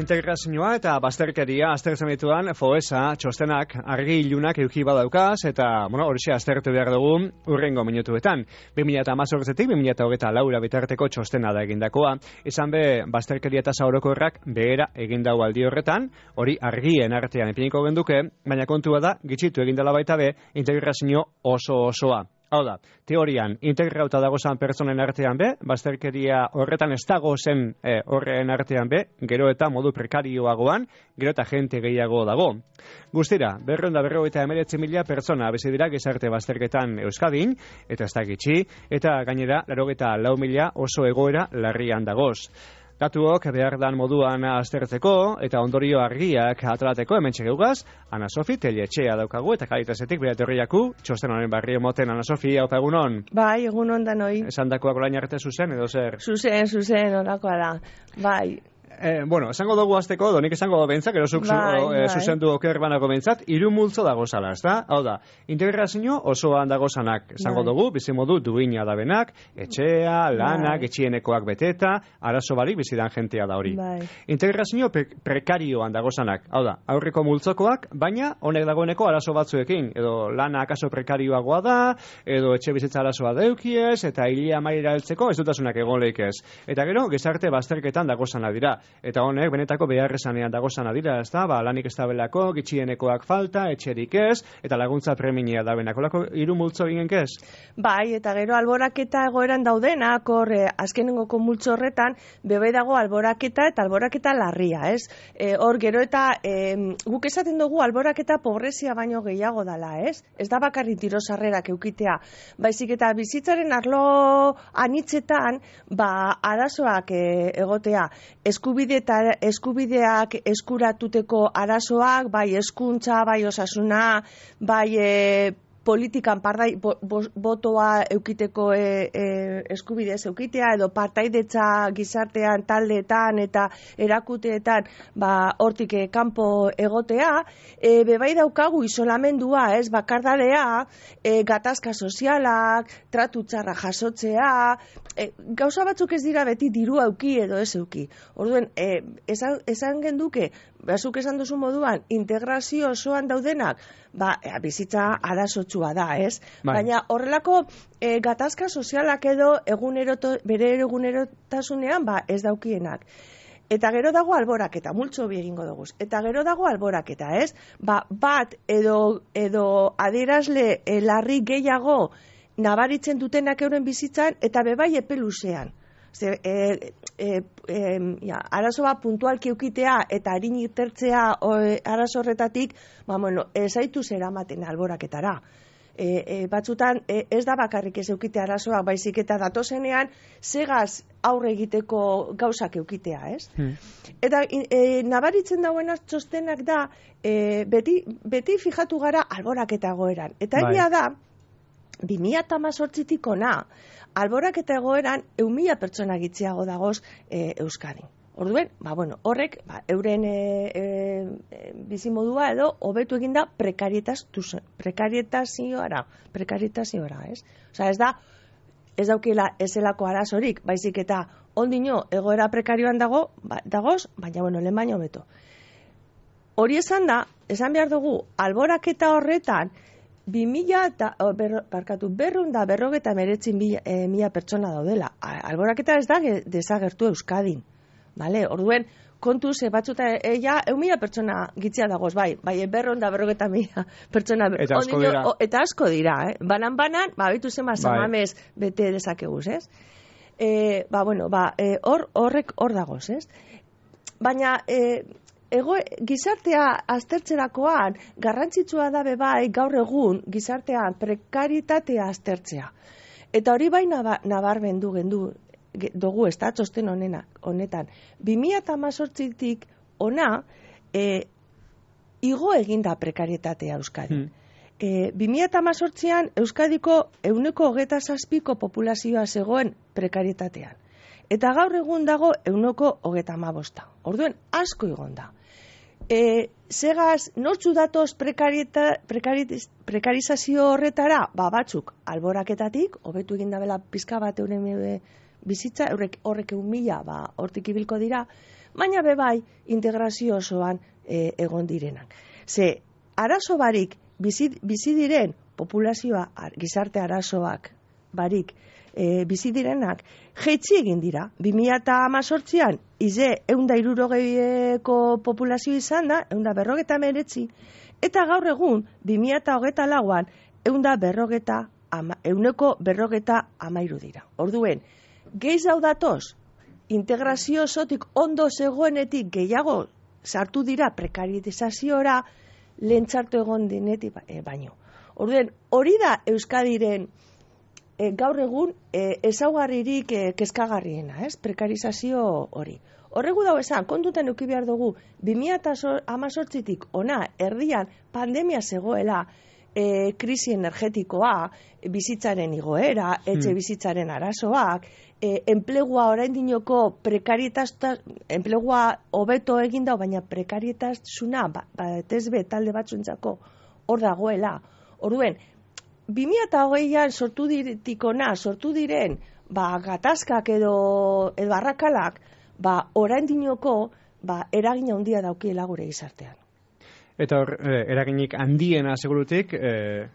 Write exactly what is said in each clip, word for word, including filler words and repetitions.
integrazioa eta bazterkeria aztertzen dituan Foessa txostenak argi ilunak eduki badaukaz eta, bueno, horixe aztertu behar dugu urrengo minutuetan. bi mila hamazortzitik bi mila hogeita laura bitarteko txostena da egindakoa. Izan be, bazterkeria tasa orokorrak behera egin dau aldi horretan, hori argien artean ipiniko genduke, baina kontua da, gitxitu egindala baita be, integrazio oso osoa. Hau da, teorian, integrauta dagozan pertsonen artean be, bazterkeria horretan ez dago zen eh, horren artean be, gero eta modu prekarioagoan, gero eta jente gehiago dago. Guztira, berreunda berrogeita emeretzi mila pertsona bizi dira gizarte bazterketan Euskadin, eta ez da gitxi, eta gainera, laurogeita lau mila oso egoera larrian dagoz. Datuok behar dan moduan aztertzeko eta ondorio argiak atrateko hemen txegeugaz, Ana Sofi Telletxea daukagu eta Kalitasetik bera etorriaku, txosten honen barri emoten Ana Sofi, hau egunon. Bai, egunon danoi. Esan dakoak orain arte zuzen edo zer? Zuzen, zuzen, olakoa da, bai. Eh, bueno, esango dugu azteko, donik esango du bentzak, erosuk bai, zu, eh, bai. zuzendu oker banako bentzat, hiru multzo dago zala, ez da? Hau da, integrazio osoan dago zanak, esango bai. dugu, bizimodu duina da benak, etxea, lanak, bai. etxienekoak beteta, arazo barik bizidan jentea da hori. Bai. Integrazio pre prekarioan dago zanak, hau da, aurreko multzokoak, baina honek dagoeneko arazo batzuekin, edo lana akaso prekarioagoa da, edo etxe bizitza arazoa deukiez, eta hilia maila heltzeko ez dutasunak egon leikez. Eta gero, gizarte bazterketan dago zana dira. Eta honek benetako beharrezanean dagozana dira, ez da, ba, lanik ez dabelako, gitxienekoak falta, etxerik ez, eta laguntza preminia da benako, lako hiru multzo ginen ez? Bai, eta gero alboraketa egoeran daudenak, hor, eh, azkenengoko multzo horretan, bebe dago alboraketa eta alboraketa larria, ez? Eh, hor, gero eta eh, guk esaten dugu alboraketa pobrezia baino gehiago dala, ez? Ez da bakarrik tiro sarrerak eukitea, baizik eta bizitzaren arlo anitzetan, ba, arazoak eh, egotea, eskubide eta eskubideak eskuratuteko arazoak, bai hezkuntza, bai osasuna, bai e, politikan pardai, bo, bo, botoa eukiteko e, e, eskubidez eukitea, edo partaidetza gizartean, taldeetan eta erakuteetan, ba, hortik e, kanpo egotea, e, bebai daukagu isolamendua, ez, bakardadea, e, gatazka sozialak, tratu txarra jasotzea, e, gauza batzuk ez dira beti diru auki edo ez euki. Orduen, e, esan, esan genduke, bazuk esan duzu moduan, integrazio osoan daudenak, ba, e, bizitza arazotsua da, ez? Bai. Baina horrelako e, gatazka sozialak edo eguneroto, bere egunerotasunean, ba, ez daukienak. Eta gero dago alboraketa, multzo bi egingo dugu. Eta gero dago alboraketa, ez? Ba, bat edo, edo adierazle e, larri gehiago nabaritzen dutenak euren bizitzan, eta bebai epe luzean. Ze, e, e, e, ja, arazo bat puntualki eukitea eta harin itertzea e, arazo horretatik, ba, bueno, ez zaitu zeramaten alboraketara. E, e, batzutan e, ez da bakarrik ez eukitea arazoak, baizik eta datozenean segaz aurre egiteko gauzak eukitea, ez? Hmm. Eta e, nabaritzen dauena txostenak da, e, beti, beti fijatu gara alboraketa egoeran. Eta egia da, bi mila hamazortzitik ona, alboraketa egoeran ehun mila pertsona gitziago dagoz e, Euskadin. Orduen, ba, bueno, horrek ba, euren e, e, bizimodua edo hobetu eginda prekarietazioara, prekarietazioara, ez? Osea, ez da, ez daukila ezelako arazorik, baizik eta ondino egoera prekarioan dago, ba, dagoz, baina, bueno, lehen baino hobeto. Hori esan da, esan behar dugu, alboraketa horretan, bi mila eta, barkatu, berrunda berrogeta meretzin mila, e, mila pertsona daudela. Alboraketa ez da desagertu Euskadin. Vale? Orduen, kontu ze batzuta eia, eun mila pertsona gitzia dagoz, bai, bai, berrunda berrogeta mila pertsona. Eta asko dira. O, eta asko dira, eh? Banan-banan, ba, bitu zema zamamez bete dezakeguz, ez? E, ba, bueno, ba, e, hor, horrek hor dagoz, ez? Baina, e, Ego, gizartea aztertzerakoan garrantzitsua da bai gaur egun gizartean prekaritatea aztertzea. Eta hori bai nabarmendu gendu dugu ez da txosten honena, honetan. bi mila hamazortzitik ona e, igo eginda prekaritatea Euskadi. Hmm. E, bi mila hamazortzian Euskadiko ehuneko hogeita zazpiko populazioa zegoen prekaritatean. Eta gaur egun dago ehuneko hogeita hamabosta. Orduen asko igon da. E, segaz, nortzu datoz prekarita, prekaritiz, prekarizazio horretara, ba batzuk alboraketatik, hobetu egin dabela pizka bat euren bizitza, eurek horrek egun mila, ba hortik ibilko dira, baina bebai integrazio osoan e, egon direnak. Ze, arazo barik bizi, bizi diren populazioa, gizarte arazoak barik e, bizi direnak, jetzi egin dira. bi mila hemezortzian ize ehunda hirurogeiko populazio izan da, ehunda berrogeta meretzi, eta gaur egun, bi mila hogeita lauan, ehunda berrogeta, ama, euneko berrogeta amairu dira. Orduen, gehiz hau datoz, integrazio osotik ondo zegoenetik gehiago sartu dira prekaritizaziora, lehen txartu egon dinetik e, baino. Orduen, hori da Euskadiren e, gaur egun e, ezaugarririk e, kezkagarriena, ez? Prekarizazio hori. Horregu dago esan, kontutan euki behar dugu, bi mila hemezortzitik ona erdian pandemia zegoela, e, krisi energetikoa, bizitzaren igoera, etxe bizitzaren arazoak, e, enplegua oraindinoko prekarietazta, enplegua hobeto egin da, baina prekarietasuna batezbe talde batzuentzako hor dagoela. Orduen, bi mila hogeian sortu diretikona, sortu diren, ba, gatazkak edo, edo arrakalak, ba, oraindinoko, ba, eragin handia daukiela gure gizartean. Eta hor, eh, eraginik handiena segurutik, eh,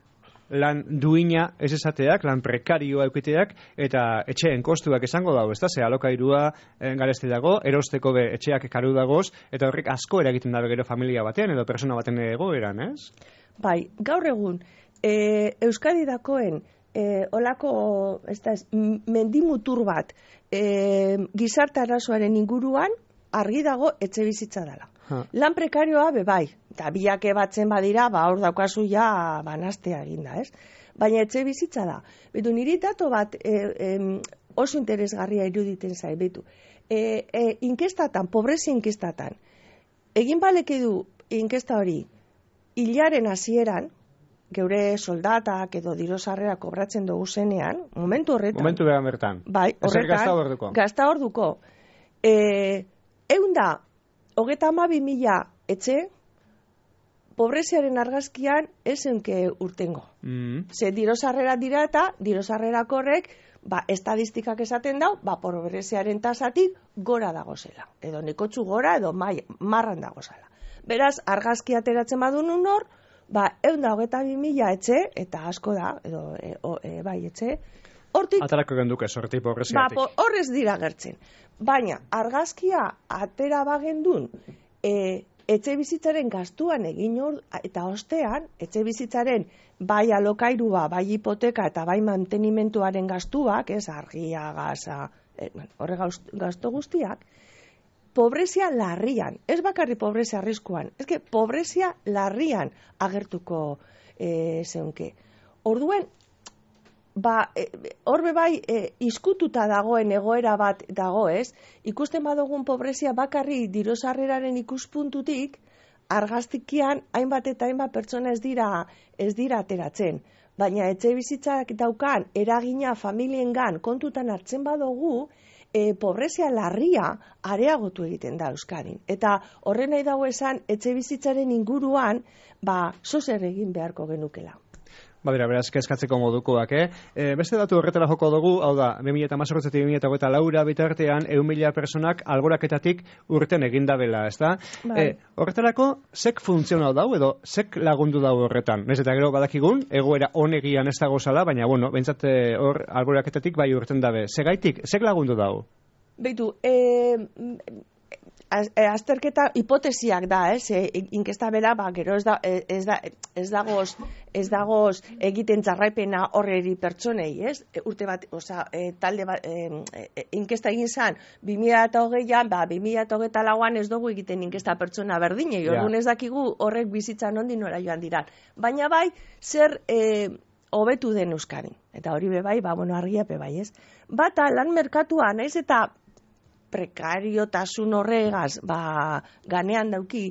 lan duina ez esateak, lan prekarioa eukiteak, eta etxeen kostuak esango dago, ez da, ze alokairua eh, garesti dago, erosteko be etxeak karu dagoz, eta horrek asko eragiten dabe gero familia batean, edo persona baten egoeran, ez? Bai, gaur egun, e, Euskadi dakoen, e, olako, ez da, mendimutur bat, e, gizarte arazoaren inguruan, argi dago etxe bizitza dela. Ha. Lan prekarioa be bai, eta biake batzen badira, ba hor daukazu ja banastea eginda, ez? Baina etxe bizitza da. Betu, niri dato bat e, e, oso interesgarria iruditen zai, betu. E, e, inkestatan, pobrezia inkestatan, egin baleke du inkesta hori, hilaren hasieran, geure soldatak edo dirosarrera kobratzen dugu zenean, momentu horretan. Momentu behan bertan. Bai, horretan. Gazta orduko. Gazta orduko. E, eunda, hogeta hamabi mila etxe, pobreziaren argazkian esenke urtengo. Mm. Ze dirosarrera dira eta dirosarrerako horrek, ba, estadistikak esaten dau, ba, pobreziaren tasatik gora dagozela. Edo nekotxu gora, edo mai, marran dagozela. Beraz, argazki ateratzen badun hor, ba, eunda hogeta bi mila etxe, eta asko da, edo e, o, e, bai etxe, hortik... Atarako genduke sorti pobreziatik. Ba, horrez dira gertzen. Baina, argazkia atera bagendun, e, etxe bizitzaren gastuan egin hor, eta ostean, etxe bizitzaren bai alokairua, bai hipoteka eta bai mantenimentuaren gastuak, ez, argia, gaza, e, horre gastu guztiak, pobrezia larrian, ez bakarri pobrezia arriskuan, ez que pobrezia larrian agertuko e, zeunke. Orduen, ba, e, horbe bai e, izkututa dagoen egoera bat dago, ez? Ikusten badugun pobrezia bakarri dirosarreraren ikuspuntutik, argaztikian hainbat eta hainbat pertsona ez dira ez dira ateratzen. Baina etxe bizitzak daukan eragina familiengan kontutan hartzen badugu, e, pobrezia larria areagotu egiten da Euskadin. Eta horren nahi dago esan, etxe bizitzaren inguruan, ba, zozer egin beharko genukela. Badira, beraz, kezkatzeko modukoak, eh? E, beste datu horretara joko dugu, hau da, bi mila hemezortzitik bi mila hogeita laura bitartean, ehun mila personak alboraketatik urten egindabela, ez da? Bai. E, horretarako, zek funtzionau dau, edo zek lagundu dau horretan? Nez eta gero badakigun, egoera honegian ez dago zala, baina, bueno, bentsat hor alboraketatik bai urten dabe. Zegaitik, zek lagundu dau? Beitu, eh... azterketa hipotesiak da, ez? E, inkesta bera, ba, gero ez, da, ez, da, ez dagoz ez dagoz egiten jarraipena horreri pertsonei, ez? E, urte bat, oza, e, talde bat, e, e, inkesta egin zan, bi mila hogeian, ba, bi mila hogeita lauan ez dugu egiten inkesta pertsona berdinei, yeah. Orduan ez dakigu horrek bizitzan ondi nora joan diran. Baina bai, zer e, hobetu den Euskadin. Eta hori be bai, ba, bueno, argiape bai, ez? Bata, lan merkatuan, ez? Eta prekariotasun horregaz, ba, ganean dauki,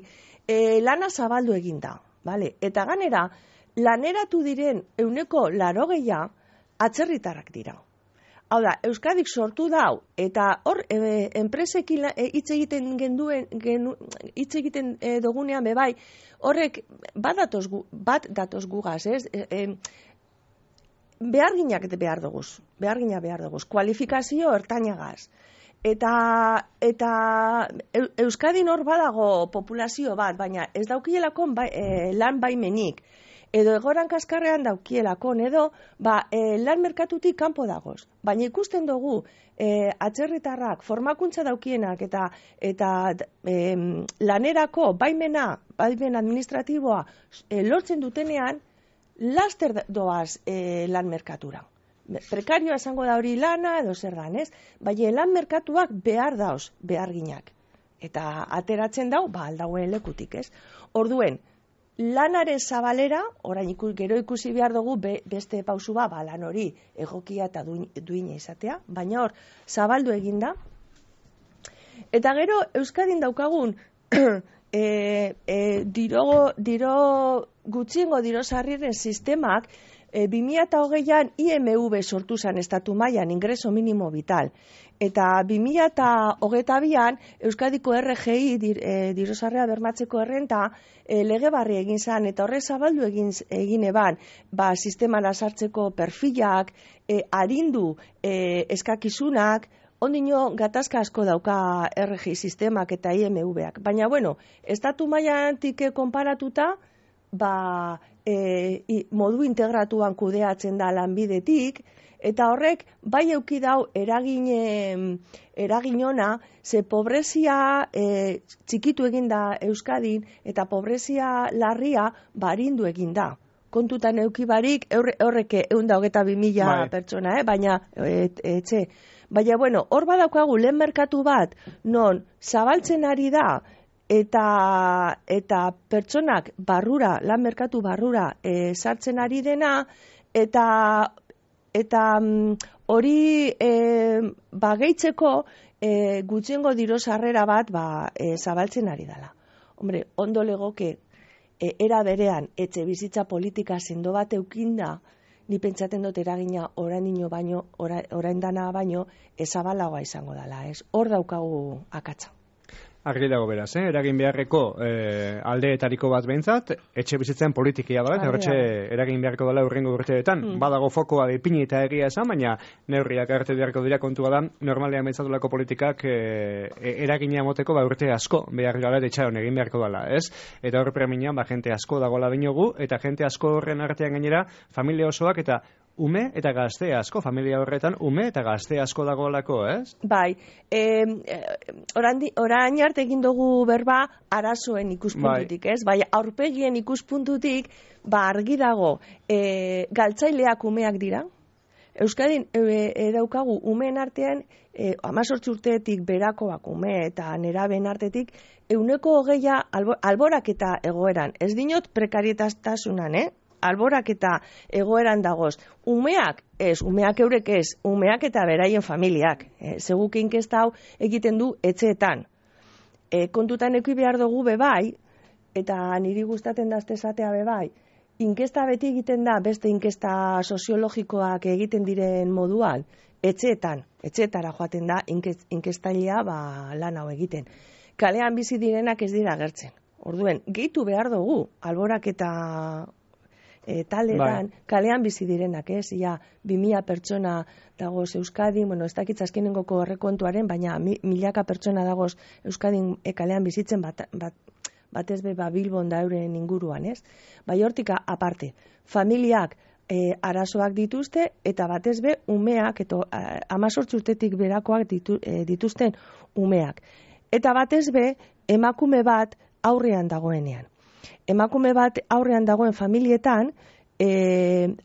e, lana zabaldu eginda, vale? Eta ganera, laneratu diren euneko larogeia atzerritarrak dira. Hau da, Euskadik sortu dau, eta hor, e, enpresekin hitz e, egiten genduen, genu, hitz egiten e, dugunean bebai, horrek bat datoz, gu, bat datoz gugaz, ez? E, e, beharginak behar duguz, behargina behar duguz, kualifikazio ertainagaz. Eta, eta Euskadin hor badago populazio bat, baina ez daukielako bai, e, lan baimenik, edo egoran kaskarrean daukielakon, edo ba, e, lan merkatutik kanpo dagoz. Baina ikusten dugu e, atzerritarrak formakuntza daukienak eta, eta e, lanerako baimena, baimen administratiboa e, lortzen dutenean, laster doaz e, lan merkatura. Prekarioa esango da hori lana edo zer dan, ez? Baina lan merkatuak behar dauz, behar ginak. Eta ateratzen dau, ba, aldauen lekutik, ez? Orduen, lanaren zabalera, orain ikus, gero ikusi behar dugu be, beste pausu ba, ba, lan hori egokia eta duina izatea, baina hor, zabaldu eginda. Eta gero, Euskadin daukagun, e, e, diro, diro gutxiengo diro sarriren sistemak, E, bi mila hogeian I M V sortu zen estatu mailan ingreso minimo vital. Eta bi mila hogeita bian Euskadiko R G I dir, e, dirosarrea bermatzeko errenta e, lege barri egin zen eta horre zabaldu egin, egin eban ba, sistemara sartzeko perfilak, e, arindu e, eskakizunak, ondino gatazka asko dauka R G I sistemak eta I M V-ak. Baina, bueno, estatu mailatik konparatuta, ba, e, i, modu integratuan kudeatzen da lanbidetik, eta horrek bai euki dau eragin, eragin ona, ze pobrezia e, txikitu eginda Euskadin, eta pobrezia larria barindu eginda. Kontutan euki barik, horrek ehun eta hogeita bi mila pertsona, eh? Baina, et, etxe. Baina, bueno, hor badaukagu lehen merkatu bat, non zabaltzen ari da, Eta, eta pertsonak barrura, lan merkatu barrura e, sartzen ari dena, eta eta hori e, ba, gehitzeko e, gutxiengo diru sarrera bat ba, e, zabaltzen ari dela. Hombre, ondo legoke e, era berean etxe bizitza politika sendo bat eukinda, ni pentsaten dut eragina orainino baino, orain dana baino, ezabalagoa izango dela, ez? Hor daukagu akatsa. Argi dago beraz, eh? Eragin beharreko eh, aldeetariko bat behintzat, etxe bizitzen politikia da, eta horretxe eragin beharko dela urrengo urteetan. Mm. Badago fokoa dipini eta egia esan, baina neurriak arte beharko dira kontua da, normalean behintzatulako politikak eh, eragina moteko ba, urte asko behar gara etxaron egin beharko dela, ez? Eta horre premian, ba, jente asko dagoela dinogu, eta jente asko horren artean gainera, familia osoak eta ume eta gazte asko, familia horretan ume eta gazte asko dagoelako, ez? Bai, e, orain arte egin dugu berba arazoen ikuspuntutik, bai. Ez? Bai, aurpegien ikuspuntutik, ba argi dago, e, galtzaileak umeak dira. Euskadin e, e, daukagu umeen artean, e, hemezortzi urteetik berakoak ume eta neraben artetik, ehuneko hogeia albo, alborak eta egoeran. Ez dinot prekarietastasunan, eh? Alborak eta egoeran dagoz. Umeak, ez, umeak eurek ez, umeak eta beraien familiak. E, Seguk inkesta hau egiten du etxeetan. E, kontutan eki behar dugu bebai, eta niri gustaten dazte esatea bebai, inkesta beti egiten da, beste inkesta soziologikoak egiten diren moduan, etxeetan, etxeetara joaten da, inkestailea ba, lan hau egiten. Kalean bizi direnak ez dira agertzen. Orduen, gehitu behar dugu, alborak eta E, taletan, bai. Kalean bizi direnak, ez? Ia, bi mila pertsona dagoz Euskadin, bueno, ez dakitz azkenengoko errekontuaren, baina mi, milaka pertsona dagoz Euskadin e, kalean bizitzen bat, bat, batez be ba, Bilbon da euren inguruan, ez? Bai hortika aparte, familiak e, arazoak dituzte, eta batez be umeak, eta hemezortzi urtetik berakoak ditu, e, dituzten umeak. Eta batez be, emakume bat aurrean dagoenean. Emakume bat aurrean dagoen familietan, e,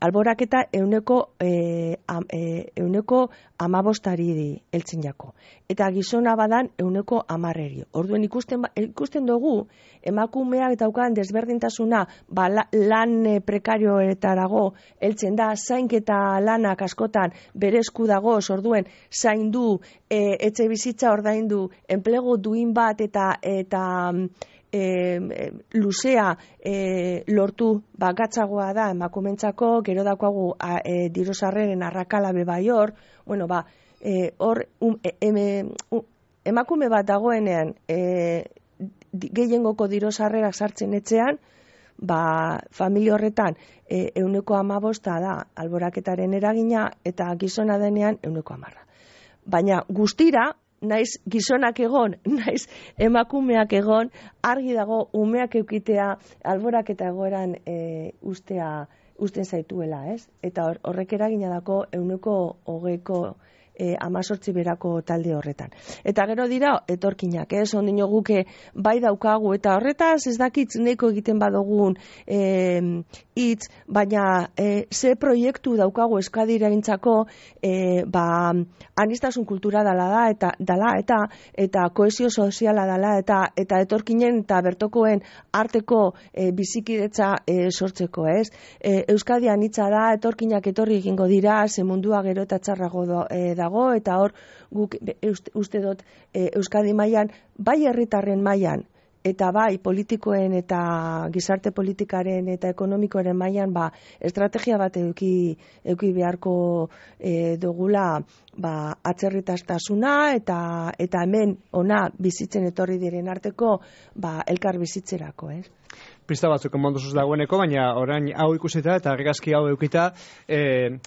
alboraketa euneko, e, am, e, euneko amabostari heltzen jako. Eta gizona badan euneko amarreri. Orduen ikusten, ikusten dugu, emakumeak daukan desberdintasuna ba, lan prekarioetarago heltzen da, zainketa lanak askotan bere esku dago, orduen zaindu, e, etxe bizitza ordaindu, enplegu duin bat eta eta E, e, luzea e, lortu bagatzagoa da emakumentzako, gero dakoagu e, dirosarreren arrakala bebai hor, bueno, ba, e, hor um, e, em, um, emakume bat dagoenean e, gehiengoko dirosarrerak sartzen etxean, ba, familia horretan e, euneko amabosta da alboraketaren eragina eta gizona denean euneko amarra. Baina guztira, naiz gizonak egon, naiz emakumeak egon, argi dago umeak eukitea alborak eta egoeran e, ustea, usten zaituela, ez? Eta horrek eragina dako euneko hogeiko E, amazortzi berako talde horretan. Eta gero dira, etorkinak, ez, ondino guke bai daukagu, eta horretaz ez dakitz neko egiten badogun e, hitz, baina e, ze proiektu daukagu Euskadira gintzako, e, ba, anistasun kultura dala da, eta dala, eta eta kohesio soziala dala, eta eta etorkinen eta bertokoen arteko e, bizikidetza e, sortzeko, ez? E, Euskadi anitza da, etorkinak etorri egingo dira, ze mundua gero eta txarrago do, e, da dago, eta hor guk uste dut e, Euskadi mailan bai herritarren mailan eta bai politikoen eta gizarte politikaren eta ekonomikoaren mailan ba estrategia bat eduki eduki beharko e, dugula ba atzerritastasuna eta eta hemen ona bizitzen etorri diren arteko ba elkar bizitzerako, ez? Pista batzuk emonduzuz dagoeneko, baina orain hau ikusita eta argazki hau edukita, eh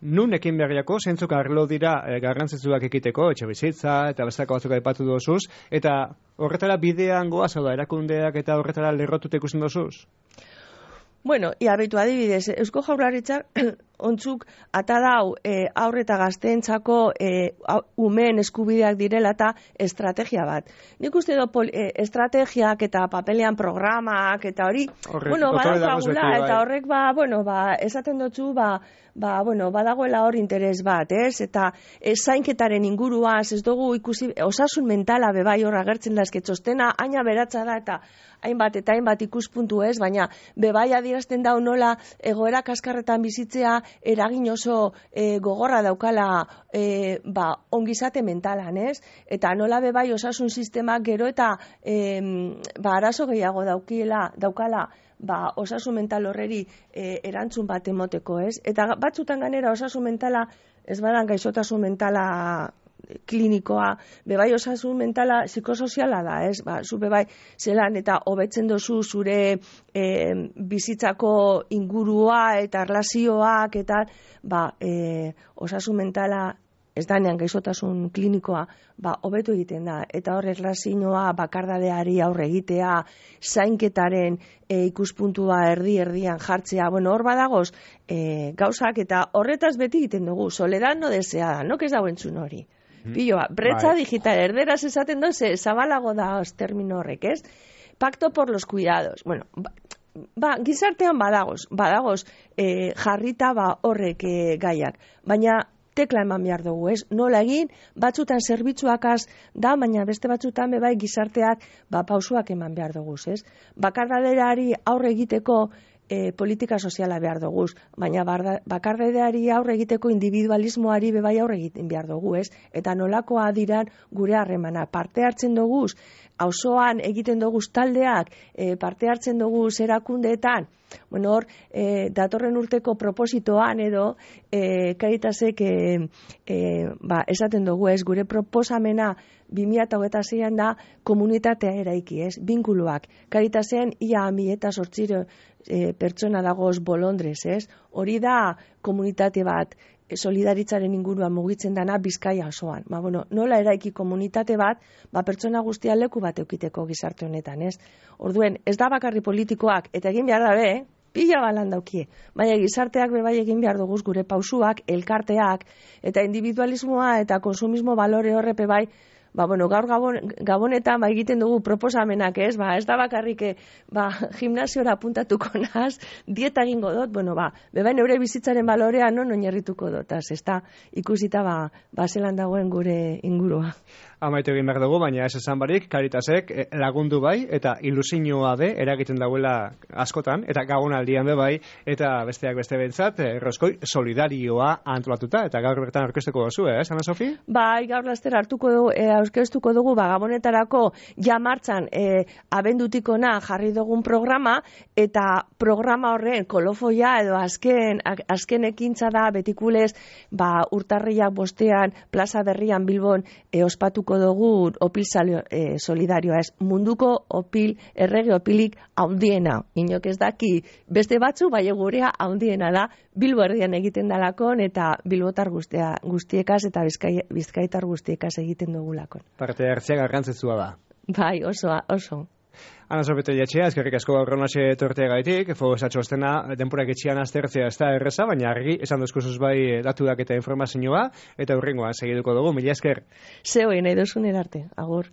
nun ekin berriako, zentzuk arlo dira e, garrantzitsuak ekiteko, etxe bizitza, eta bestako batzuk aipatu dozuz, eta horretara bidean goaz, da erakundeak eta horretara lerrotut ikusten dozuz? Bueno, ia behitu adibidez, Eusko Jaurlaritzak ontzuk ata dau e, aurre eta gazteentzako e, umeen eskubideak direla eta estrategia bat. Nik uste do pol, e, estrategiak eta papelean programak eta hori, horrek, bueno, badaukagula, eta horrek ba, bueno, ba, esaten dutzu, ba, ba, bueno, badagoela hor interes bat, ez? Eta ez zainketaren inguruaz, ez dugu ikusi, osasun mentala bebai hor agertzen da esketxostena, aina beratza da eta hainbat eta hainbat ikuspuntu ez, baina bebai adierazten dau nola egoera kaskarretan bizitzea eragin oso e, gogorra daukala e, ba, ongizate mentalan, ez? Eta nola bebai osasun sistemak gero eta e, ba, arazo gehiago daukiela, daukala ba, osasun mental horreri e, erantzun bat emoteko, ez? Eta batzutan ganera osasun mentala, ez badan gaixotasun mentala klinikoa, bebai osasun mentala psikosoziala da, ez? Ba, zu bebai zelan eta hobetzen dozu zure e, bizitzako ingurua eta erlazioak eta ba, e, osasun mentala ez danean gaixotasun klinikoa, ba, hobetu egiten da. Eta hor erlazioa bakardadeari aurre egitea, zainketaren e, ikuspuntua erdi-erdian jartzea, bueno, hor badagoz e, gauzak eta horretaz beti egiten dugu, soledad no deseada, no, ez dago entzun hori. Piloa, bretza bai. Digital, erderaz esaten doze, zabalago da os termino horrek, ez? Pacto por los cuidados. Bueno, ba, ba gizartean badagoz, badagoz e, jarrita ba horrek e, gaiak, baina tekla eman behar dugu, ez? Nola egin, batzutan zerbitzuakaz da, baina beste batzutan bebai gizarteak ba pausuak eman behar dugu, ez? Bakardaderari aurre egiteko E, politika soziala behar dugu, baina bakardadeari aurre egiteko individualismoari bebai aurre egiten behar dugu, ez? Eta nolakoa diran gure harremana. Parte hartzen dugu, auzoan egiten dugu taldeak, e, parte hartzen dugu erakundeetan, bueno, hor, e, datorren urteko propositoan edo, e, Caritasek e, e, ba, esaten dugu, ez? Gure proposamena bi mila hogeita seian da komunitatea eraiki, ez? Binkuluak. Caritasen ia mi eta zortziro e, pertsona dagoz bolondrez, ez? Hori da komunitate bat, solidaritzaren inguruan mugitzen dana Bizkaia osoan. Ba, bueno, nola eraiki komunitate bat, ba, pertsona guztia leku bat eukiteko gizarte honetan, ez? Orduen, ez da bakarri politikoak, eta egin behar dabe, eh? Pila balan daukie. Baina gizarteak bebai egin behar duguz gure pausuak, elkarteak, eta individualismoa eta konsumismo balore horrepe bai, ba, bueno, gaur gabon, gabonetan ba, egiten dugu proposamenak, ez? Ba, ez da bakarrik, ba, gimnasiora apuntatuko naz, dieta egingo dut, bueno, ba, bebai neure bizitzaren balorea non oinarrituko dut, ez da ikusita, ba, ba, zelan dagoen gure ingurua. Amaitu egin behar dugu, baina ez esan barik, Caritasek lagundu bai, eta ilusioa de eragiten dauela askotan, eta gabonaldian be bai, eta besteak beste bentsat, errozkoi solidarioa antolatuta, eta gaur bertan aurkeztuko duzu, eh, Ana Sofi? Bai, gaur laster hartuko dugu, e, aurkeztuko dugu, ba, gabonetarako ja martzan e, abendutikona jarri dugun programa, eta programa horren kolofoia edo azken, azken ekintza da betikulez, ba, urtarriak bostean, plaza berrian Bilbon e, ospatuko dugu opil salio, e, solidarioa, ez? Munduko opil, errege opilik haundiena. Inok ez daki beste batzu, bai gurea haundiena da Bilbo erdian egiten dalakon, eta bilbotar guztia, guztiekaz eta bizkai, bizkaitar guztiekaz egiten dugulakon. Parte hartzea garrantzitsua da. Bai, oso, oso. Ana Sorbete Jatxea, eskerrik asko gaur honase torteagaitik, Fogosa txostena denporak etxean aztertzea ez da erreza, baina argi esan dozkusuz bai datuak eta informazioa, eta hurrengoan segiduko dugu, mila esker. Zeo, nahi duzun erarte, agur.